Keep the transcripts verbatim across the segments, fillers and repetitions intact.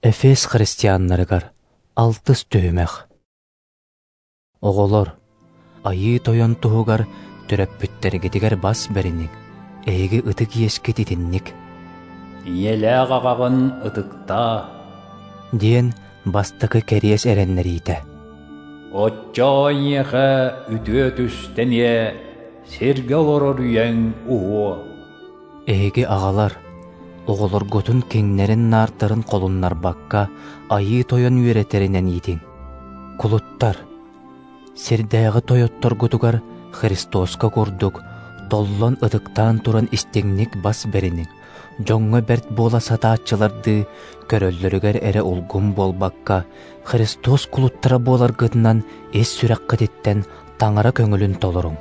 Эфес христианнарыгар алтыс түһүмэх. Оҕолор, Айыы Тойон туһугар төрөппүттэргитигэр бас бэриниҥ, эһиги ытык иэскит итинник. Ийэлээх аҕаҕын ытыктаа, диэн бастакы кэриэс эрэннэриитэ. Оччоҕо эйиэхэ үтүө түстэниэ, сиргэ олорор үйэҥ уһуо. Эһиги аҕалар, оҕолоргутун киҥнэрин-наардарын холуннарбакка Айыы Тойон үөрэтэринэн иитиҥ. Кулуттар, сирдээҕи тойотторгутугар Христоска курдук толлон ытыктаан туран истиҥник бас бэриниҥ, дьоҥҥо бэрт буола сатааччылардыы көрөллөрүгэр эрэ улгум буолбакка, Христос кулуттара буоларгытынан ис сүрэххититтэн Таҥара көҥүлүн толоруҥ.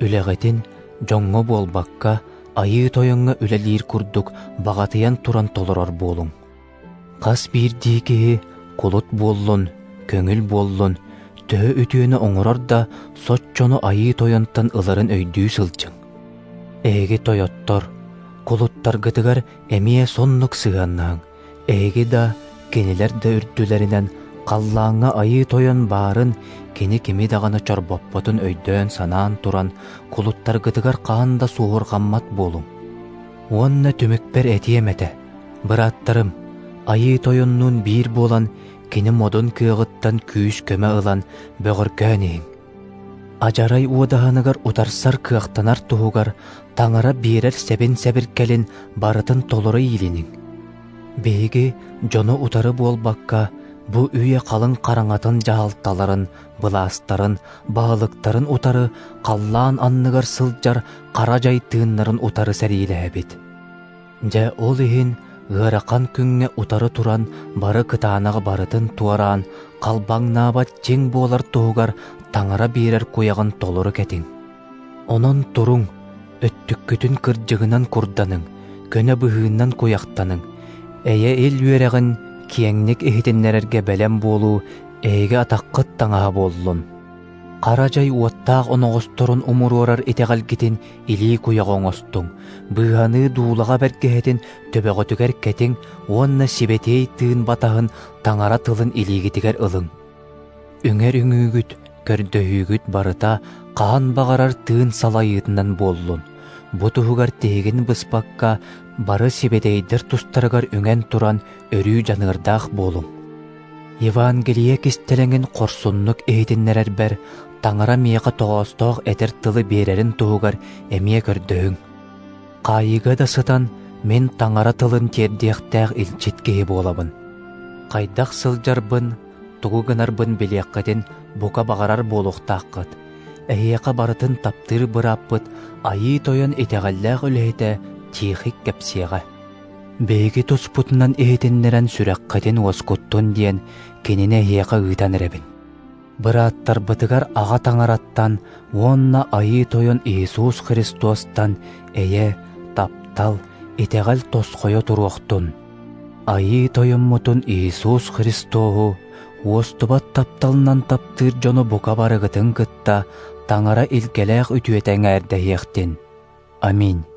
Үлэҕитин дьоҥҥо буолбакка, Айыы Тойоҥҥо үлэлиир курдук баҕатыйан туран толорор буолуҥ. Хас биирдии киһи кулут буоллун, көҥүл буоллун, төһө үтүөнү оҥорор да, соччону Айыы Тойонтон ыларын өйдүү сылдьыҥ. Эһиги тойоттор, кулуттаргытыгар эмиэ соннук сыһыаннаһыҥ. Эһиги да, кинилэр да үрдүлэринэн халлааҥҥа Айыы Тойон баарын, кини кими даҕаны чорбоппотун өйдөөн-санаан туран, кулуттаргытыгар хаһан да суоһурҕаммат буолуҥ. Уонна түмүкпэр этиэм этэ, бырааттарым, Айыы Тойоннуун биир буолан, кини модун кыаҕыттан күүс-көмө ылан бөҕөргөөн иһиҥ. Адьарай уодаһыныгар утарсар кыахтанар туһугар Таҥара биэрэр сэбин-сэбиргэлин барытын толоро иилиниҥ. Биһиги дьону утары буолбакка, бу үйэ халыҥ хараҥатын дьаһалталарын, былаастарын, баһылыктарын утары халлаан анныгар сылдьар хара дьай тыыннарын утары сэриилэһэбит. Дьэ ол иһин ыарахан күҥҥэ утары туран бары кытаанаҕы барытын туораан, халбаҥнаабат чиҥ буолар туһугар Таҥара биэрэр куйаҕын толору кэтиҥ. Онон туруҥ, өттүккүтүн кырдьыгынан курданыҥ, көнө быһыынан куйахтаныҥ, эйэ-ил үөрэҕин киэҥник иһитиннэрэргэ бэлэм буолуу эһиги атаххыт таҥаһа буоллун. Хара дьай уоттаах оноҕосторун умуруорар итэҕэлгитин илии куйаҕа оҥостуҥ, быыһаныы дуулаҕа бэргэһэтин төбөҕүтүгэр кэтиҥ уонна сибэтиэй тыын батаһын Таҥара тылын илиигитигэр ылыҥ. Үҥэр үҥүүгүт, көрдөһүүгүт барыта хаһан баҕарар тыын салайыытынан буоллун. Бу туһугар тиһигин быспакка бары сибэтиэйдэр тустарыгар үҥэн туран өрүү дьаныардаах буолуҥ. Евангелие кистэлэҥин хорсуннук иһитиннэрэрбэр Таҥара миэхэ тоҕоостоох этэр тылы биэрэрин туһугар эмиэ көрдөһүҥ. Хаайыыга да сытан мин Таҥара тылын тиэрдиэхтээх илчит киһи буолабын. Хайдах сылдьарбын, тугу гынарбын билиэххитин бука баҕарар буолуохтааххыт. Эһиэхэ барытын таптыыр бырааппыт Айыы Тойон итэҕэллээх үлэһитэ Тихик кэпсиэҕэ. Биһиги туспутунан иһитиннэрэн сүрэххитин уоскуттун диэн кинини эһиэхэ ыытан эрэбин. Бырааттарбытыгар Аҕа Таҥараттан уонна Айыы Тойон Иисус Христостан эйэ, таптал, итэҕэл тосхойо туруохтун. Айыы Тойоммутун Иисус Христоһу уостубат тапталынан таптыыр дьону бука барыгытын кытта Таҥара илгэлээх үтүөтэ эҥээрдэһиэхтин. Аминь.